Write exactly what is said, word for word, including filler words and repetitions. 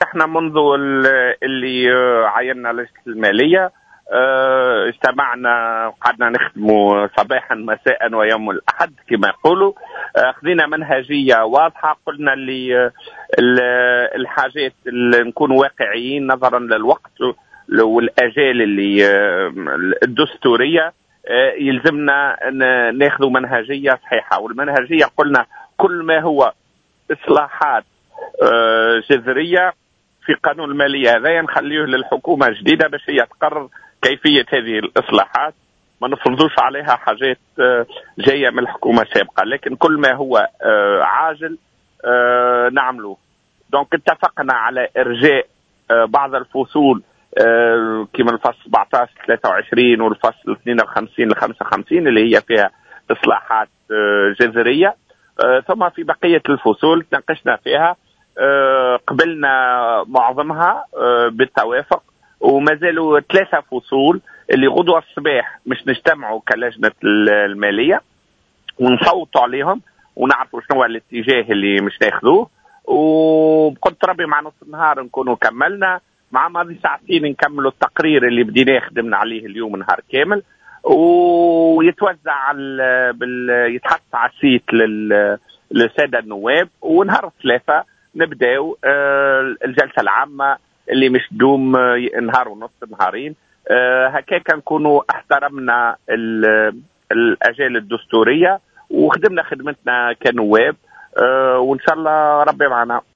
احنا منذ اللي عيننا لجنة المالية اجتمعنا وقعدنا نخدموا صباحا مساء ويوم الاحد كما يقولوا. خذينا منهجيه واضحه، قلنا اللي الحاجات اللي نكون واقعيين نظرا للوقت والاجال اللي الدستورية يلزمنا ناخذ منهجيه صحيحه. والمنهجيه قلنا كل ما هو اصلاحات جذرية في قانون المالية هذا نخليه للحكومة الجديدة باش هي تقرر كيفية هذه الاصلاحات، ما نفرضوش عليها حاجات جاية من الحكومة السابقة، لكن كل ما هو عاجل نعملوه. donc اتفقنا على ارجاء بعض الفصول كما الفصل سبعطاش ثلاثة وعشرين والفصل اثنين وخمسين ل خمسة وخمسين اللي هي فيها اصلاحات جذرية، ثم في بقية الفصول تناقشنا فيها، قبلنا معظمها بالتوافق، وما زالوا ثلاثة فصول اللي غدوة الصباح مش نجتمعوا كلجنة المالية ونصوتوا عليهم ونعرفوا شنو هو الاتجاه اللي مش ناخذوه. وبقدرة ربي مع نص النهار نكونوا كملنا، مع ماضي ساعتين نكملوا التقرير اللي بديناه خدمنا عليه اليوم نهار كامل، ويتوزع على بال... يتحط على ال site لل... للسادة النواب. ونهار الثلاثاء نبداو الجلسة العامة اللي مش دوم نهار ونص نهارين. هكاك نكونوا احترمنا الاجال الدستورية وخدمنا خدمتنا كنواب، وان شاء الله ربي معنا.